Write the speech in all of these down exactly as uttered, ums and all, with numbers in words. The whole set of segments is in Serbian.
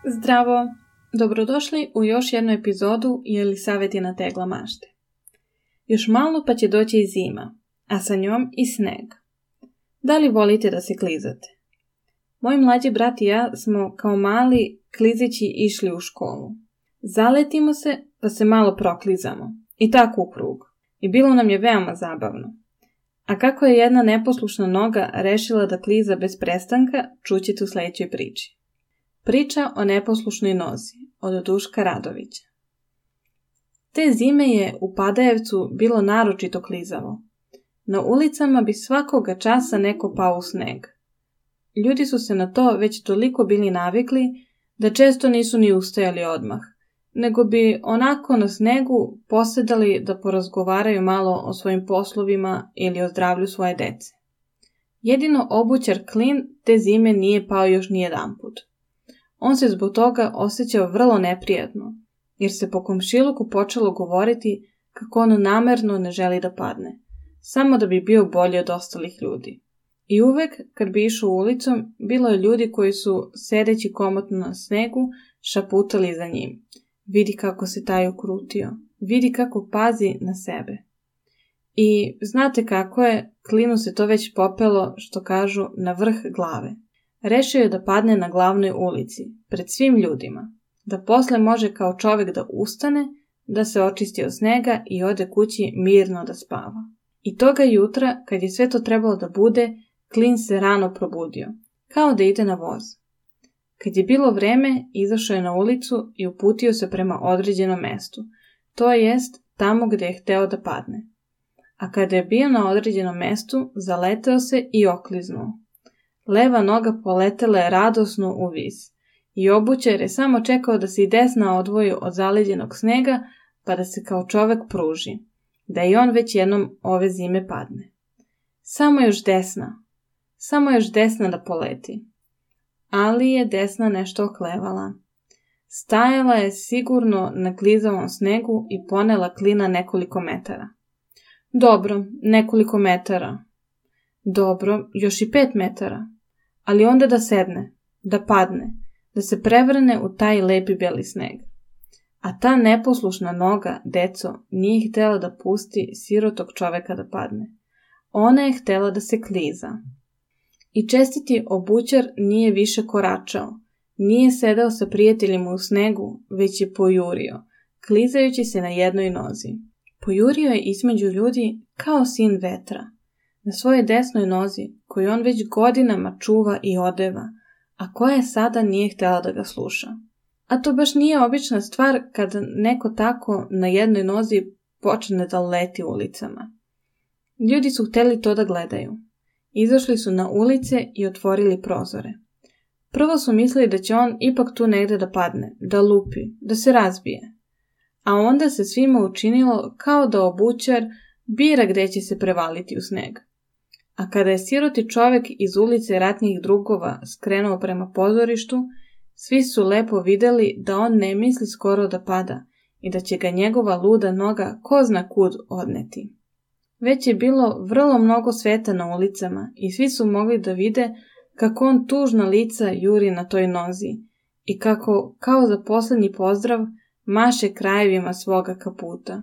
Zdravo! Dobrodošli u još jednu epizodu Jelisavetina tegla mašte. Još malo pa će doći i zima, a sa njom i sneg. Da li volite da se klizate? Moj mlađi brat i ja smo kao mali klizići išli u školu. Zaletimo se pa se malo proklizamo. I tako u krug. I bilo nam je veoma zabavno. A kako je jedna neposlušna noga rešila da kliza bez prestanka, čućete u sljedećoj priči. Priča o neposlušnoj nozi od Duška Radovića. Te zime je u Padajevcu bilo naročito klizavo. Na ulicama bi svakoga časa neko pao u sneg. Ljudi su se na to već toliko bili navikli da često nisu ni ustajali odmah, nego bi onako na snegu posedali da porazgovaraju malo o svojim poslovima ili o zdravlju svoje dece. Jedino obućar Klin te zime nije pao još nijedanput. On se zbog toga osjećao vrlo neprijatno, jer se po komšiluku počelo govoriti kako on namerno ne želi da padne, samo da bi bio bolji od ostalih ljudi. I uvek, kad bi išao ulicom, bilo je ljudi koji su, sedeći komotno na snegu, šaputali za njim. Vidi kako se taj ukrutio, vidi kako pazi na sebe. I znate kako je, Klinu se to već popelo, što kažu, na vrh glave. Rešio je da padne na glavnoj ulici, pred svim ljudima, da posle može kao čovek da ustane, da se očisti od snega i ode kući mirno da spava. I toga jutra, kad je sve to trebalo da bude, Klin se rano probudio, kao da ide na voz. Kad je bilo vreme, izašao je na ulicu i uputio se prema određenom mestu, to jest tamo gde je hteo da padne. A kada je bio na određenom mestu, zaleteo se i okliznuo. Leva noga poletela je radosno u vis i obućar je samo čekao da se i desna odvoji od zaleđenog snega pa da se kao čovek pruži, da i on već jednom ove zime padne. Samo još desna, samo još desna da poleti. Ali je desna nešto oklevala. Stajala je sigurno na klizavom snegu i ponela Klina nekoliko metara. Dobro, nekoliko metara. Dobro, još i pet metara. Ali onda da sedne, da padne, da se prevrne u taj lepi beli sneg. A ta neposlušna noga, deco, nije htjela da pusti sirotog čoveka da padne. Ona je htjela da se kliza. I čestiti obućar nije više koračao, nije sedao sa prijateljima u snegu, već je pojurio, klizajući se na jednoj nozi. Pojurio je između ljudi kao sin vetra. Na svojoj desnoj nozi, koju on već godinama čuva i odeva, a koja sada nije htjela da ga sluša. A to baš nije obična stvar kada neko tako na jednoj nozi počne da leti ulicama. Ljudi su htjeli to da gledaju. Izašli su na ulice i otvorili prozore. Prvo su mislili da će on ipak tu negde da padne, da lupi, da se razbije. A onda se svima učinilo kao da obućar bira gde će se prevaliti u sneg. A kada je siroti čovek iz ulice ratnih drugova skrenuo prema pozorištu, svi su lepo videli da on ne misli skoro da pada i da će ga njegova luda noga ko zna kud odneti. Već je bilo vrlo mnogo sveta na ulicama i svi su mogli da vide kako on tužna lica juri na toj nozi i kako, kao za poslednji pozdrav, maše krajevima svoga kaputa.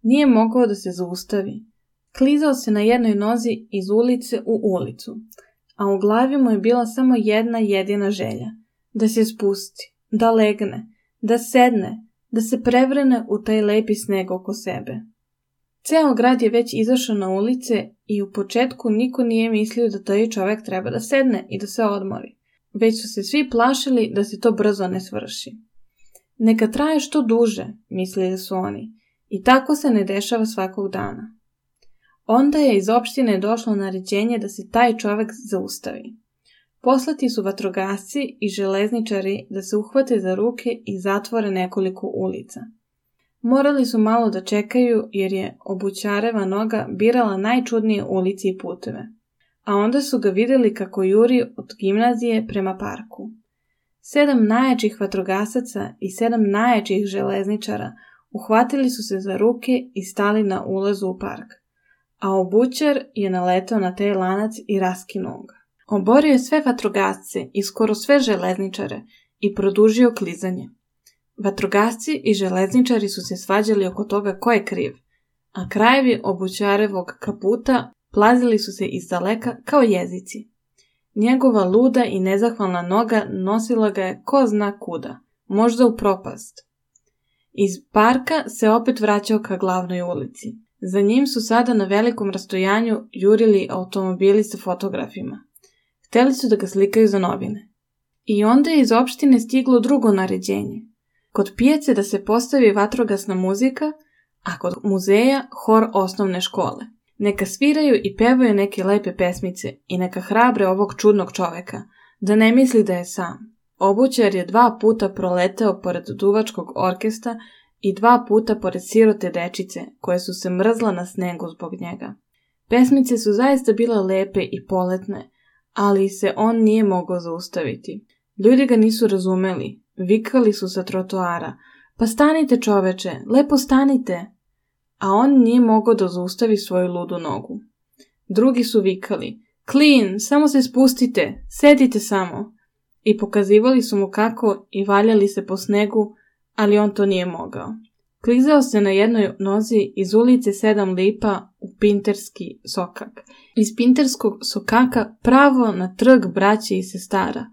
Nije mogao da se zaustavi. Klizao se na jednoj nozi iz ulice u ulicu, a u glavi mu je bila samo jedna jedina želja, da se spusti, da legne, da sedne, da se prevrne u taj lepi sneg oko sebe. Ceo grad je već izašao na ulice i u početku niko nije mislio da taj čovek treba da sedne i da se odmori, već su se svi plašili da se to brzo ne svrši. Neka traje što duže, mislili su oni, i tako se ne dešava svakog dana. Onda je iz opštine došlo naređenje da se taj čovek zaustavi. Poslati su vatrogasci i železničari da se uhvate za ruke i zatvore nekoliko ulica. Morali su malo da čekaju jer je obućareva noga birala najčudnije ulici i puteve. A onda su ga vidjeli kako juri od gimnazije prema parku. Sedam najjačih vatrogasaca i sedam najjačih železničara uhvatili su se za ruke i stali na ulazu u park. A obućar je naletao na taj lanac i raskinuo ga. Oborio je sve vatrogasce i skoro sve železničare i produžio klizanje. Vatrogasci i železničari su se svađali oko toga ko je kriv, a krajevi obućarevog kaputa plazili su se izdaleka kao jezici. Njegova luda i nezahvalna noga nosila ga je ko zna kuda, možda u propast. Iz parka se opet vraćao ka glavnoj ulici. Za njim su sada na velikom rastojanju jurili automobili sa fotografima. Hteli su da ga slikaju za novine. I onda je iz opštine stiglo drugo naređenje. Kod pijace da se postavi vatrogasna muzika, a kod muzeja hor osnovne škole. Neka sviraju i pevaju neke lepe pesmice i neka hrabre ovog čudnog čoveka, da ne misli da je sam. Obućar je dva puta proleteo pored duvačkog orkestra i dva puta pored sirote dečice, koje su se mrzla na snegu zbog njega. Pesmice su zaista bile lepe i poletne, ali se on nije mogao zaustaviti. Ljudi ga nisu razumeli, vikali su sa trotoara, pa stanite čoveče, lepo stanite, a on nije mogao da zaustavi svoju ludu nogu. Drugi su vikali, Klin, samo se spustite, sedite samo, i pokazivali su mu kako i valjali se po snegu, ali on to nije mogao. Klizao se na jednoj nozi iz ulice Sedam lipa u Pinterski sokak. Iz Pinterskog sokaka pravo na trg braće i sestara,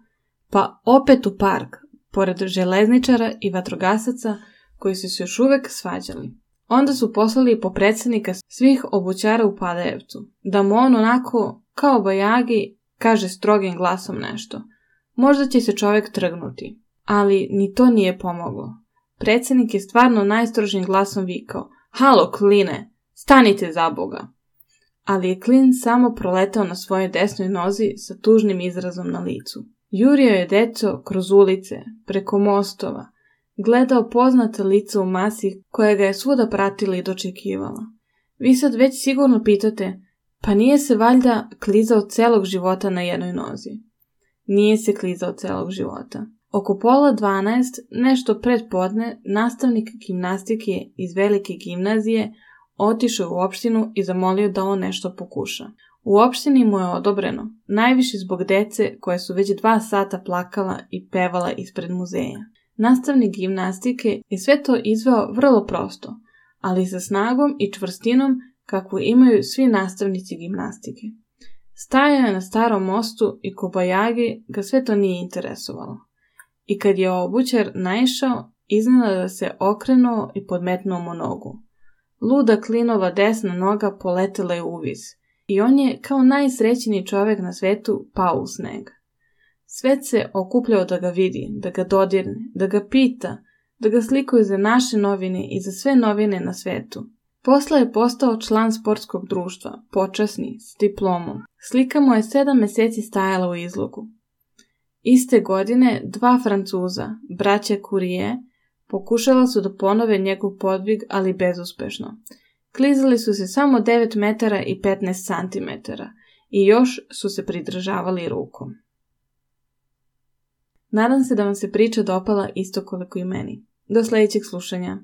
pa opet u park, pored železničara i vatrogasaca koji su se još uvek svađali. Onda su poslali po predsjednika svih obućara u Padajevcu, da mu on onako, kao bajagi, kaže strogim glasom nešto. Možda će se čovjek trgnuti, ali ni to nije pomoglo. Predsjednik je stvarno najstrožim glasom vikao, halo Kline, stanite za Boga. Ali je Klin samo proletao na svojoj desnoj nozi sa tužnim izrazom na licu. Jurio je deco kroz ulice, preko mostova, gledao poznate lice u masi koja ga je svuda pratila i dočekivala. Vi sad već sigurno pitate, pa nije se valjda klizao celog života na jednoj nozi? Nije se klizao celog života. Oko pola dvanaest, nešto pred podne, nastavnik gimnastike iz velike gimnazije otišao u opštinu i zamolio da on nešto pokuša. U opštini mu je odobreno, najviše zbog dece koje su već dva sata plakala i pevala ispred muzeja. Nastavnik gimnastike je sve to izveo vrlo prosto, ali sa snagom i čvrstinom kakvu imaju svi nastavnici gimnastike. Stajao je na starom mostu i kobajagi ga sve to nije interesovalo. I kad je obućar naišao, iznenada se okrenuo i podmetnuo mu nogu. Luda Klinova desna noga poletela je uviz i on je kao najsrećniji čovjek na svetu pao u sneg. Svet se okupljao da ga vidi, da ga dodirne, da ga pita, da ga slikaju za naše novine i za sve novine na svetu. Posle je postao član sportskog društva, počasni, s diplomom. Slika mu je sedam meseci stajala u izlogu. Iste godine dva Francuza, braća Curie, pokušala su da ponove njegov podvig, ali bezuspešno. Klizali su se samo devet metara i petnaest centimetara i još su se pridržavali rukom. Nadam se da vam se priča dopala isto koliko i meni. Do sljedećeg slušanja.